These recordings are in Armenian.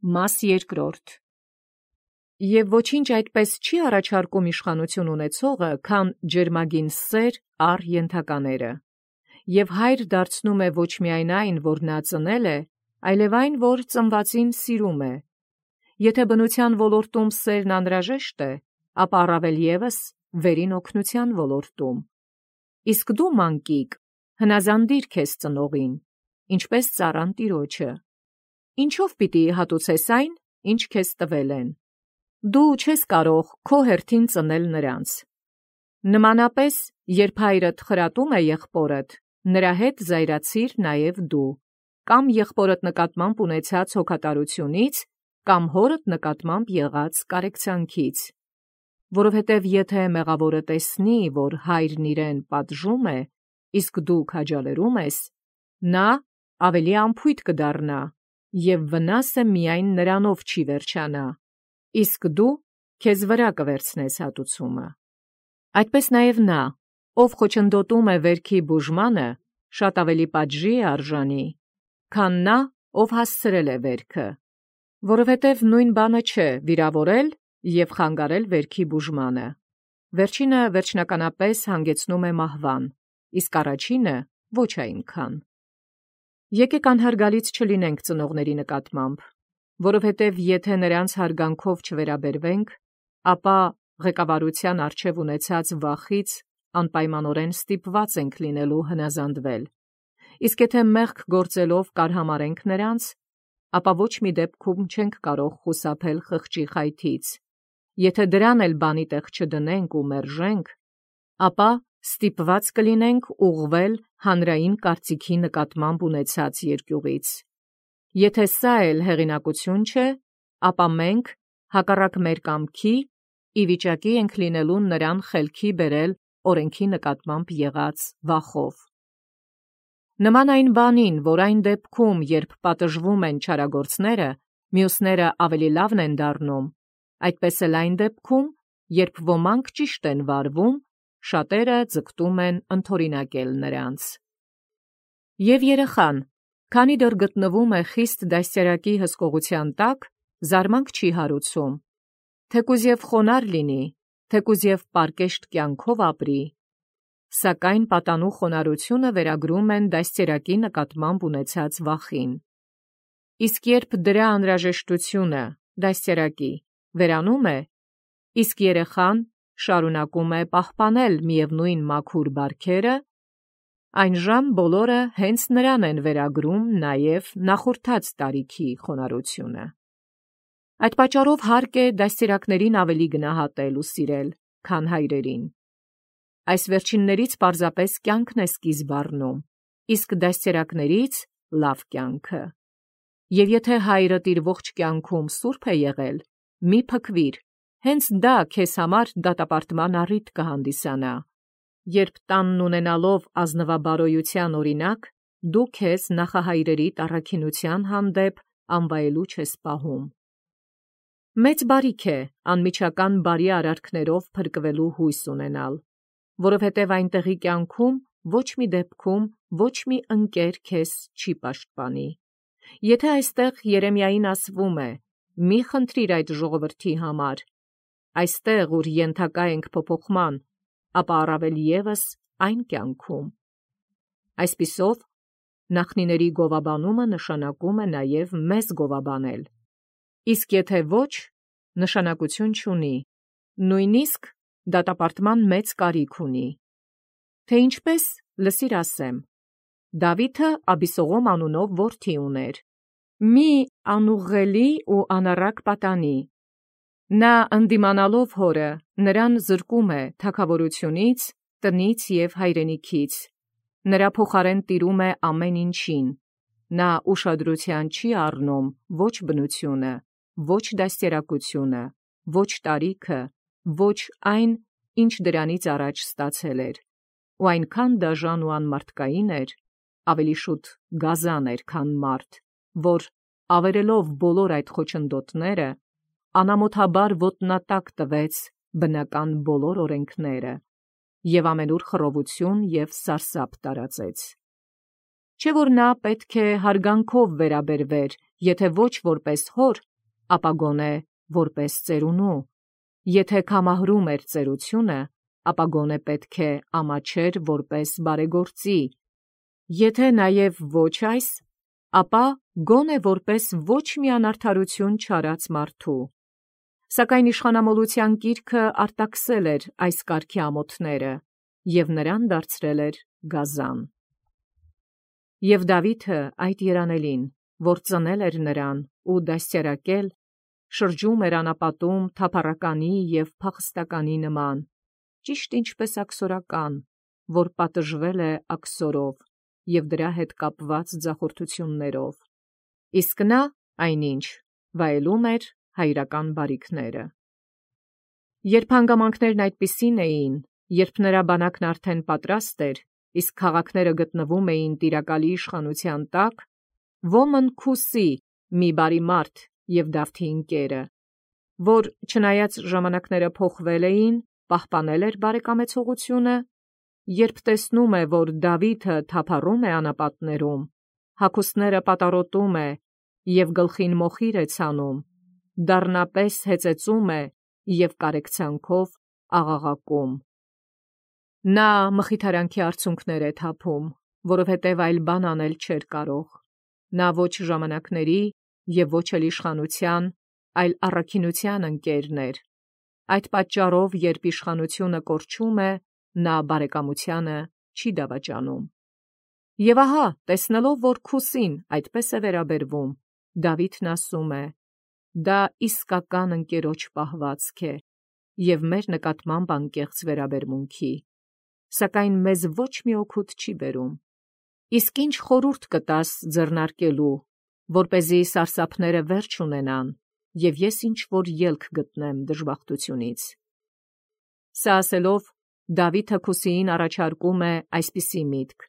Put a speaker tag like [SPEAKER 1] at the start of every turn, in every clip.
[SPEAKER 1] Մաս երկրորդ. Եվ ոչինչ այդպես չի առաջարկում իշխանություն ունեցողը, քան ջերմագին սեր առ ենթակաները, և հայր դարձնում է ոչ միայն այն, որ նա ծնել է, այլև այն, որ ծնվածին սիրում է։ Եթե բնության ոլորտում սերն անհրաժեշտ է, ապա առավել ևս վերին օգնության ոլորտում։ Իսկ դու, մանկիկ, հնազանդիր քեզ ծնողին, ինչպես ծառան տիրոջը։ Ինչով պիտի հատուցես այն, ինչ քեզ տվել են։ Դու չես կարող քո հերթին ծնել նրանց։ Նմանապես, երբ հայրդ խրատում է եղբորդ, նրա հետ զայրացիր նաև դու, կամ եղբորդ նկատմամբ ունեցած հոգատարությունից, կամ հորդ նկատմամբ եղած կարեկցանքից։ Որովհետև եթե մեղավորը տեսնի, որ հայրն իրեն պատժում է, իսկ դու քաջալերում ես, նա ավելի անփույթ կդառնա, և վնասը միայն նրանով չի վերջանա, իսկ դու քեզ վրա կվերցնես հատուցումը։ Այդպես նաև նա, ով խոչընդոտում է վերքի բուժմանը, շատ ավելի պատժի է արժանի, քան նա, ով հասցրել է վերքը, որովհետև նույն բանը չէ վիրավորել և խանգարել վերքի բուժմանը։ Վերջինը վերջնականապես հանգեցնում է մահվան, իսկ առաջինը ոչ այնքան։ Եկեք անհարգալից չլինենք ծնողների նկատմամբ, որովհետև եթե նրանց հարգանքով չվերաբերվենք, ապա ղեկավարության առջև ունեցած վախից անպայմանորեն ստիպված ենք լինելու հնազանդվել։ Իսկ եթե մեղք գործելով կարհամարենք նրանց, ապա ոչ մի դեպքում չենք կարող խուսափել խղճի խայթից։ Եթե դրան էլ բանի տեղ չդնենք ու մերժենք, ապա ստիպված կլինենք ուղղվել հանրային կարծիքի նկատմամբ ունեցած երկյուղից։ Եթե սա էլ հեղինակություն չէ, ապա մենք, հակառակ մեր կամքի, ի վիճակի ենք լինելու նրան խելքի բերել օրենքի նկատմամբ եղած վախով։ Նման այն բանին, որ այն դեպքում, երբ պատժվում են չարագործները, մյուսները ավելի լավն են դառնում, այդպես էլ այն դեպքում, երբ ոմանք ճիշտ են վարվում, շատերը ձգտում են ընդօրինակել նրանց։ Եվ երեխան, քանի դեռ գտնվում է խիստ դաստիարակի հսկողության տակ, զարմանք չի հարուցում, թեկուզ և խոնարհ լինի, թեկուզ և պարկեշտ կյանքով ապրի, սակայն պատանու խոնարհությունը վերագրում են դաստիարակի նկատմամբ ունեցած վախին։ Իսկ երբ դրա անհրաժեշտությունը դաստիարակի վերանում է, իսկ երեխան շարունակում է պահպանել միևնույն մաքուր բարքերը, այնժամ բոլորը հենց նրան են վերագրում նաև նախորդած տարիքի խոնարհությունը։ Այդ պատճառով հարկ է դաստիարակներին ավելի գնահատել ու սիրել, քան հայրերին։ Այս վերջիններից պարզապես կյանքն է սկիզբ առնում, իսկ դաստիարակներից լավ կյանքը։ Եվ եթե հայրդ իր ողջ կյանքում սուրբ է եղել, մի փքվիր, հենց դա քեզ համար դատապարտման առիթ կհանդիսանա, երբ տանն ունենալով ազնվաբարոյության օրինակ, դու քեզ նախահայրերի տառաքինության հանդեպ անվայելուչ ես պահում։ Մեծ բարիք է անմիջական բարի արարքներով փրկվելու հույս ունենալ, որովհետև այնտեղի կյանքում ոչ մի դեպքում ոչ մի ընկեր քեզ չի պաշտպանի։ Եթե այստեղ Երեմիային ասվում է. «Մի խնդրիր այդ ժողովրդի համար», այստեղ, ուր ենթակա ենք փոփոխման, ապա առավել ևս այն կյանքում։ Այսպիսով, նախնիների գովաբանումը նշանակում է նաև մեզ գովաբանել, իսկ եթե ոչ, նշանակություն չունի, նույնիսկ դատապարտման մեծ կարիք ունի։ Թե ինչպես, լսիր ասեմ. Դավիթը Աբիսողոմ անունով որդի ուներ, մի անուղղելի ու անառակ պատանի։ Նա ընդդիմանալով հորը, նրան զրկում է թագավորությունից, տնից և հայրենիքից, նրա փոխարեն տիրում է ամեն ինչին, նա ուշադրության չի առնում ոչ բնությունը, ոչ դաստիարակությունը, ոչ տարիքը, ոչ այն, ինչ դրանից առաջ ստացել էր, ու այնքան դաժան ու անմարդկային էր, ավելի շուտ գազան էր, քան մարդ, որ, ավերելով բոլոր այդ խոչընդոտները, անամոթաբար ոտնատակ տվեց բնական բոլոր օրենքները և ամենուր խռովություն և սարսափ տարածեց։ Չէ՞ որ նա պետք է հարգանքով վերաբերվեր, եթե ոչ որպես հոր, ապա գոնե որպես ծերունու, եթե կամահրում էր ծերությունը, ապա գոնե պետք է ամաչեր որպես բարեգործի, եթե նաև ոչ այս, ապա գոնե որպես ոչ մի անարդարություն չարած մարդու։ Սակայն իշխանամոլության գիրքը արտաքսել էր այս կարգի ամոթները և նրան դարձրել էր գազան։ Եվ Դավիթը այդ երանելին, որ ծնել էր նրան ու դաստիարակել, շրջում էր անապատում թափառականի և փախստականի նման, ճիշտ ինչպես աքսորական, որ պատժվել է աքսորով և դրա հետ կապված ձախորդություններով, իսկ նա այնինչ վայելում էր հայրական բարիքները։ Երբ հանգամանքներն այդպիսին էին, երբ նրա բանակն արդեն պատրաստ էր, իսկ քաղաքները գտնվում էին տիրակալի իշխանության տակ, ոմն Քուսի մի բարի մարդ և Դավթի ընկերը, որ չնայած ժամանակները փոխվել էին, պահպանել էր բարեկամեցողությունը, երբ տեսնում է, որ Դավիթը թափառում է անապատներում, հագուստները պատառոտում է և գլխին մոխիր է ցանում, դառնապես հեծեծում է և կարեկցանքով աղաղակում։ Նա մխիթարանքի արցունքներ է թափում, որովհետև այլ բան անել չէր կարող։ Նա ոչ ժամանակների և ոչ էլ իշխանության, այլ առաքինության ընկերն էր։ Այդ պատճառով, երբ իշխանությունը կորչում է, նա բարեկամությանը չի դավաճանում։ Եվ ահա, տեսնելով, որ Քուսին այդպես է վերաբերվում, Դավիթն ասում է. «Դա իսկական ընկերոջ պահվածք է և մեր նկատմամբ անկեղծ վերաբերմունքի, սակայն մեզ ոչ մի օգուտ չի բերում։ Իսկ ինչ խորհուրդ կտաս ձեռնարկելու, որպեսզի սարսափները վերջ ունենան, և ես ինչ-որ ելք գտնեմ դժբախտությունից»։ Սա ասելով, Դավիթը Քուսիին առաջարկում է այսպիսի միտք.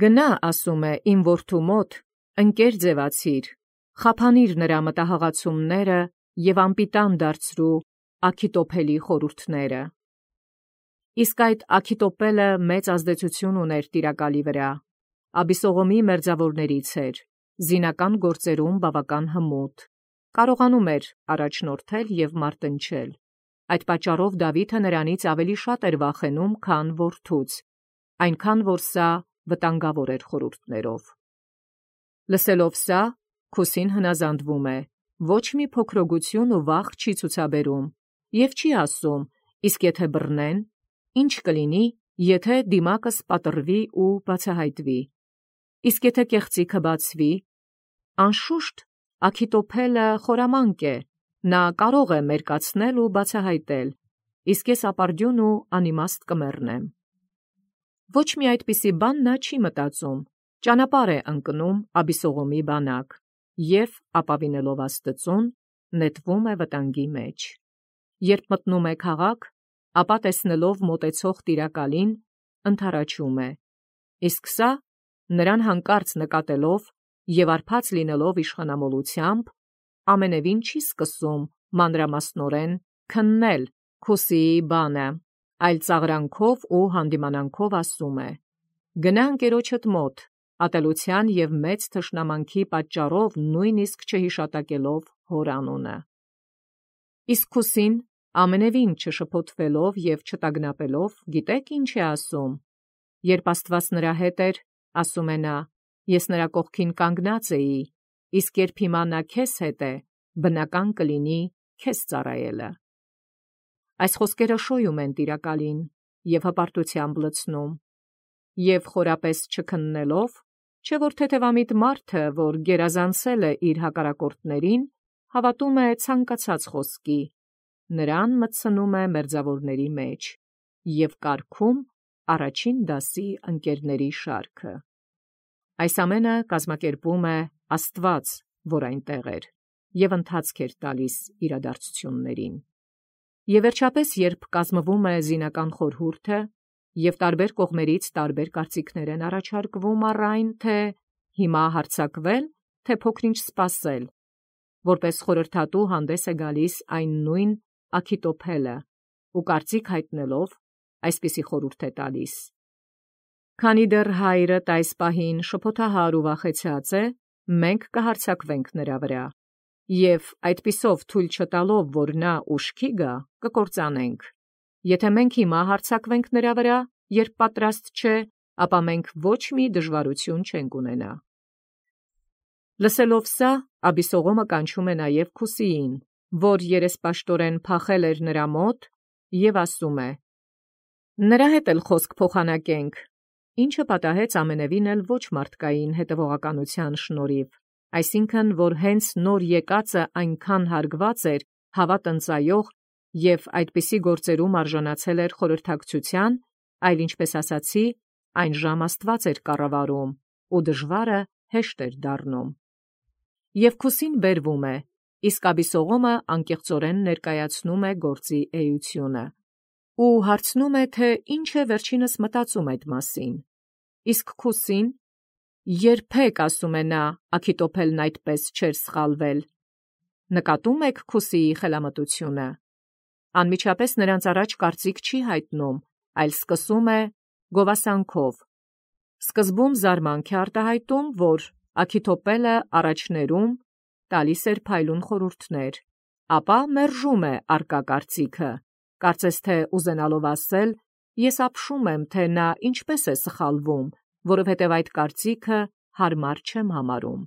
[SPEAKER 1] «Գնա, ասում է, իմ որդու մոտ, ընկեր ձևացիր, խափանիր նրա մտահղացումները և անպիտան դարձրու Աքիթոփելի խորհուրդները»։ Իսկ այդ Աքիթոփելը մեծ ազդեցություն ուներ տիրակալի վրա, Աբիսողոմի մերձավորներից էր, զինական գործերում բավական հմուտ, կարողանում էր առաջնորդել և մարտնչել։ Այդ պատճառով Դավիթը նրանից ավելի շատ էր վախենում, քան որդուց, այնքան որ սա վտանգավոր էր խորհուրդներով։ Լսելով սա, Քուսին հնազանդվում է, ոչ մի փոքրոգություն ու վախ չի ցուցաբերում և չի ասում. իսկ եթե բռնեն, ի՞նչ կլինի, եթե դիմակս պատռվի ու բացահայտվի, իսկ եթե կեղծիքը բացվի, անշուշտ Աքիթոփելը խորամանկ է, նա կարող է մերկացնել ու բացահայտել, իսկ ես ապարդյուն ու անիմաստ կմեռնեմ։ Ոչ մի այդպիսի բան նա չի մտածում, ճանապարհ է ընկնում Աբիսողոմի բանակ և, ապավինելով Աստծուն, նետվում է վտանգի մեջ։ Երբ մտնում է քաղաք, ապա տեսնելով մոտեցող տիրակալին, ընդառաջում է, իսկ սա, նրան հանկարծ նկատելով և արբած լինելով իշխանամոլությամբ, ամենևին չի սկսում մանրամասնորեն քննել Քուսիի բանը, այլ ծաղրանքով ու հանդիմանանքով ասում է. «Գնա ընկերոջդ մոտ, ատելության և մեծ թշնամանքի պատճառով նույնիսկ չհիշատակելով հոր անունը»։ Իսկ Քուսին, ամենևին չշփոթվելով և չտագնապելով, գիտե՞ք ինչ է ասում։ Երբ Աստված նրա հետ էր, ասում է նա, ես նրա կողքին կանգնած էի, իսկ երբ հիմա նա քեզ հետ է, բնական կլինի քեզ ծառայելը։ Այս խոսքերը շոյում են տիրակալին և հպարտությամբ լցնում, և խորապես չքննելով, չէ որ թեթևամիտ մարդը, որ գերազանցել է իր հակառակորդներին, հավատում է ցանկացած խոսքի, նրան մտցնում է մերձավորների մեջ և կարգում առաջին դասի ընկերների շարքը։ Այս ամենը կազմակերպում է Աստված, որ այնտեղ էր և ընթացք էր տալիս իրադարձություններին։ Եվ վերջապես, երբ կազմվում է զինական խորհուրդը, և տարբեր կողմերից տարբեր կարծիքներ են առաջարկվում առ այն, թե հիմա հարձակվե՞լ, թե փոքր-ինչ սպասել, որպես խորհրդատու հանդես է գալիս այն նույն Աքիթոփելը ու կարծիք հայտնելով, այսպիսի խորհուրդ է տալիս. «Քանի դեռ հայրդ այս պահին շփոթահար ու վախեցած է, մենք կհարձակվենք նրա վրա, Եվ այդպիսով թույլ չտալով, որ նա ուշքի գա, կկործանենք։ Եթե մենք հիմա հարձակվենք նրա վրա, երբ պատրաստ չէ, ապա մենք ոչ մի դժվարություն չենք ունենա։ Լսելով սա, Աբիսողոմը կանչում է նաև Քուսիին, որ երեսպաշտորեն փախել էր նրա մոտ, եւ ասում է. «Նրա հետ էլ խոսք փոխանակենք», ինչը պատահեց ամենևին էլ ոչ մարդկային հետևողականության շնորհիվ, այսինքն, որ հենց նոր եկածը այնքան հարգված էր, հավատ ընծայող եւ այդպիսի գործերում արժանացել էր խորհրդակցության, այլ ինչպես ասացի, այն ժամ Աստված էր կառավարում, ու դժվարը հեշտ էր դառնում։ Եվ Քուսին բերվում է, իսկ Աբիսողոմը անկեղծորեն ներկայացնում է գործի էությունը ու հարցնում է, թե ինչ է վերջինս մտածում այդ մասին։ Իսկ Քուսին երբեք, ասում է նա, Աքիտոփելն այդպես չէր սխալվել։ Նկատում եք Քուսիի խելամտությունը։ Անմիջապես նրանց առաջ կարծիք չի հայտնում, այլ սկսում է գովասանքով։ Սկզբում զարմանք է արտահայտում, որ Աքիտոփելը առաջներում տալիս էր փայլուն խորհուրդներ, ապա մերժում է արկա կարծիքը, կարծես թե ուզենալով ասել, ես ապշում եմ, թե նա ինչպես է սխալվում, որովհետև այդ կարծիքը հարմար չեմ համարում։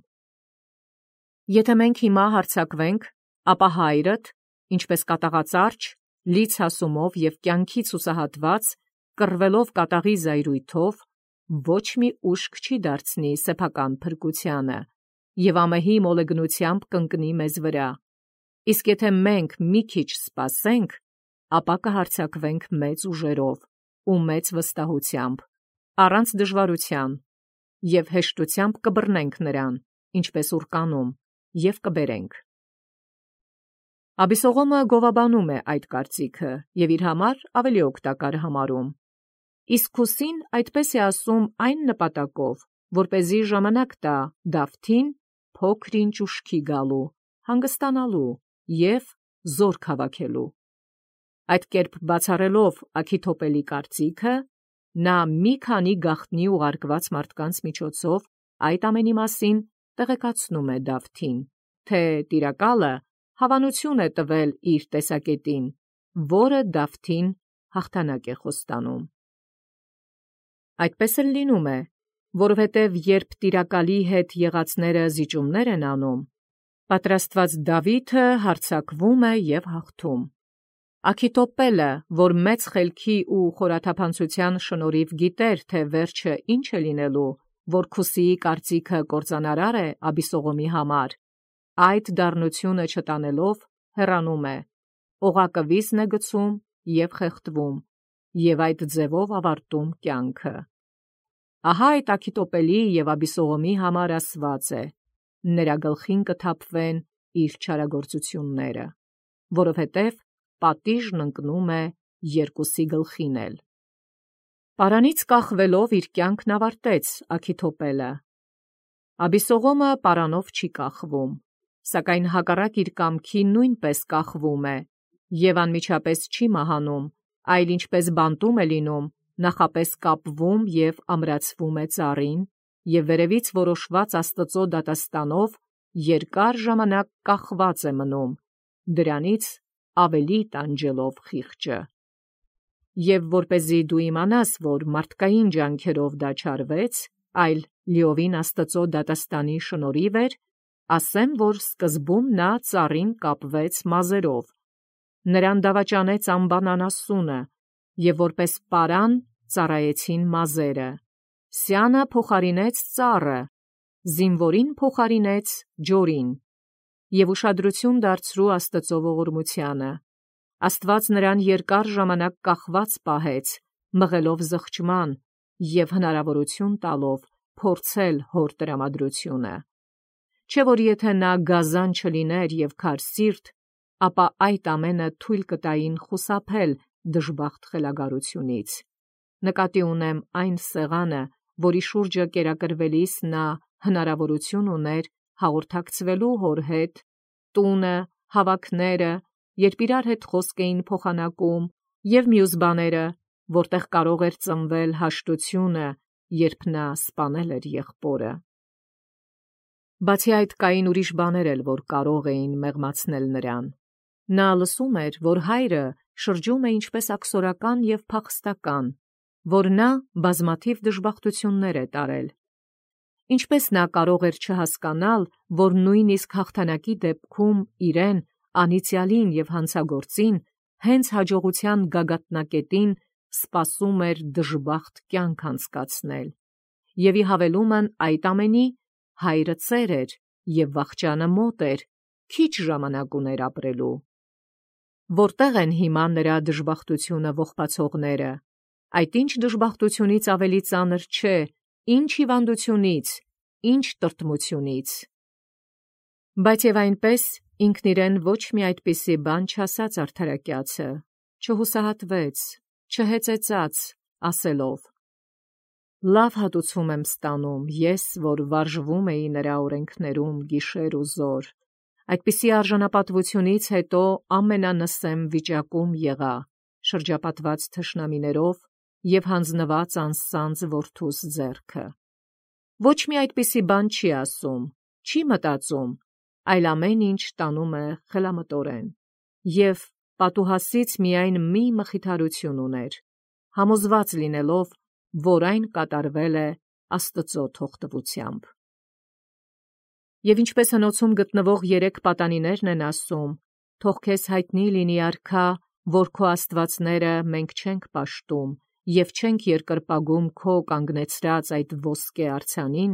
[SPEAKER 1] Եթե մենք հիմա հարձակվենք, ապա հայրդ, ինչպես կատաղածարչ, լից հասումով եւ կյանքից հուսահատված, կռվելով կատաղի զայրույթով, ոչ մի ուշք չի դարձնի սեփական փրկությանը եւ ամեհի մոլեգնությամբ կընկնի մեզ վրա։ Իսկ եթե մենք մի քիչ սպասենք, ապա կհարձակվենք մեծ ուժերով ու մեծ վստահությամբ, առանց դժվարության, եւ հեշտությամբ կբռնենք նրան, ինչպես ուրկանում, եւ կբերենք։ Աբիսողոմը գովաբանում է այդ կարծիքը եւ իր համար ավելի օգտակար համարում։ Իսկ Քուսին այդպես է ասում այն նպատակով, որպեսզի ժամանակ տա Դավթին փոքր-ինչ ուշքի գալու, հանգստանալու եւ զորք հավաքելու։ Այդ կերպ բացառելով Աքիթոպելի կարծիքը, նա մի քանի գաղտնի ուղարկված մարդկանց միջոցով այդ ամենի մասին տեղեկացնում է Դավթին, թե տիրակալը հավանություն է տվել իր տեսակետին, որը Դավթին հաղթանակ է խոստանում։ Այդպես էլ լինում է, որովհետև երբ տիրակալի հետ եղածները զիջումներ են անում, պատրաստված Դավիթը հարձակվում է եւ հաղթում։ Աքիթոպելը, որ մեծ խելքի ու խորաթափանցության շնորհիվ գիտեր, թե վերջը ինչ է լինելու, որ Քուսիի կարծիքը կործանարար է Աբիսողոմի համար, այդ դառնությունը չտանելով հեռանում է, օղակը վիզն է գցում եւ խեղդվում, եւ այդ ձևով ավարտում կյանքը։ Ահա այդ Աքիթոպելի եւ Աբիսողոմի համար ասված է. նրա գլխին կթափվեն իր չարագործությունները, որովհետև պատիժն ընկնում է երկուսի գլխին էլ։ Պարանից կախվելով իր կյանքն ավարտեց Աքիթոպելը։ Աբիսողոմը պարանով չի կախվում, սակայն հակառակ իր կամքի նույնպես կախվում է եւ անմիջապես չի մահանում, այլ ինչպես բանտում է լինում, նախապես կապվում եւ ամրացվում է ծառին եւ վերևից որոշված Աստծո դատաստանով երկար ժամանակ կախված է մնում, դրանից ավելի տանջելով խիղճը։ Եվ որպեսզի դու իմանաս, որ մարդկային ջանքերով դա չարվեց, այլ լիովին Աստծո դատաստանի շնորհիվ էր, ասեմ, որ սկզբում նա ծառին կապվեց մազերով, նրան դավաճանեց անբան անասունը, եւ որպես պարան ծառայեցին մազերը, սյանը փոխարինեց ծառը, զինվորին փոխարինեց ջորին, եւ ուշադրություն դարձրու Աստծո ողորմությանը։ Աստված նրան երկար ժամանակ կախված պահեց, մղելով զղջման եւ հնարավորություն տալով փորձել հոր տրամադրությունը։ Չէ՞ որ եթե նա գազան չլիներ եւ քարսիրտ, ապա այդ ամենը թույլ կտային խուսափել դժբախտ խելագարությունից։ Նկատի ունեմ այն սեղանը, որի շուրջը կերակրվելիս նա հնարավորություն ուներ հաղորդակցվելու հոր հետ, տունը, հավաքները, երբ իրար հետ խոսք էին փոխանակում, եւ մյուս բաները, որտեղ կարող էր ծնվել հաշտությունը, երբ նա սպանել էր եղբորը։ Բացի այդ կային ուրիշ բաներ էլ, որ կարող էին մեղմացնել նրան։ Նա լսում էր, որ հայրը շրջում է ինչպես աքսորական և փախստական, որ նա բազմաթիվ դժբախտություններ է տարել։ Ինչպես նա կարող էր չհասկանալ, որ նույնիսկ հաղթանակի դեպքում իրեն, անիծյալին և հանցագործին, հենց հաջողության գագաթնակետին սպասում էր դժբախտ կյանք անցկացնել, և ի հավելումն այդ ամենի, հայրը ծեր էր և վախճանը մոտ էր, քիչ ժամանակ ուներ ապրելու։ Որտե՞ղ են հիմա նրա դժբախտությունը ողբացողները։ Այդ ինչ դժբախտությունից ավելի ծանր չէ, ինչ հիվանդությունից, ինչ տրտմությունից։ Բայց և այնպես ինքն իրեն ոչ մի այդպիսի բան չասաց արդարակյացը, չհուսահատվեց, չհեծեծաց, ասելով. «Լավ հատուցում եմ ստանում ես, որ վարժվում էի նրա օրենքներում գիշեր ու զօր, այդպիսի արժանապատվությունից հետո ամենանսեմ վիճակում եղա, շրջապատված թշնամիներով և հանձնված անսանձ որդուս ձեռքը։ Ոչ մի այդպիսի բան չի ասում, չի մտածում, այլ ամեն ինչ տանում է խելամտորեն, և պատուհասից միայն մի մխիթարություն ուներ, համոզված լինելով, որ այն կատարվել է Աստծո թողտվությամբ։ Եվ ինչպես հնոցում գտնվող 3 պատանիներն են ասում. «Թող քեզ հայտնի լինի, արքա, որ քո աստվածները մենք չենք պաշտում և չենք երկրպագում քո կանգնեցրած այդ ոսկե արձանին,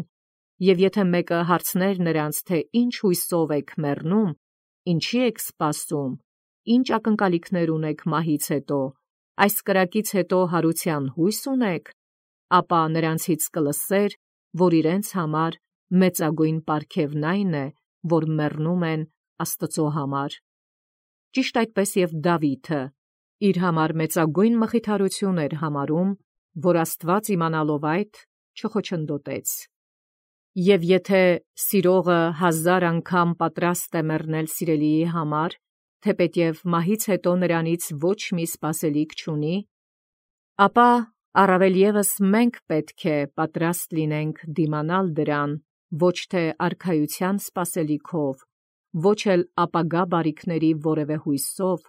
[SPEAKER 1] և եթե մեկը հարցներ նրանց, թե ինչ հույսով եք մեռնում, ինչի եք սպասում, ինչ ակնկալիքներ ունեք մահից հետո, այս կրակից հետո հարության հույս ունեք, ապա նրանցից կլսեր, որ իրենց համար մեծագույն պարգևն այն է, որ մեռնում են Աստծո համար։ Ճիշտ այդպես և Դավիթը իր համար մեծագույն մխիթարություն էր համարում, որ Աստված իմանալով այդ, չխոչընդոտեց։ Եվ եթե սիրողը 1000 անգամ պատրաստ է մեռնել սիրելիի համար, թեպետև մահից հետո նրանից ոչ մի սպասելիք չունի, ապա առավել ևս մենք պետք է պատրաստ լինենք դիմանալ դրան ոչ թե արքայության սպասելիքով, ոչ էլ ապագա բարիքների որևէ հույսով,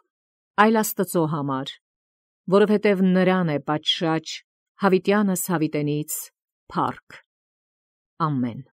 [SPEAKER 1] այլ Աստծո համար, որովհետև նրան է պատշաճ հավիտյանս հավիտենից փառք։ Ամեն։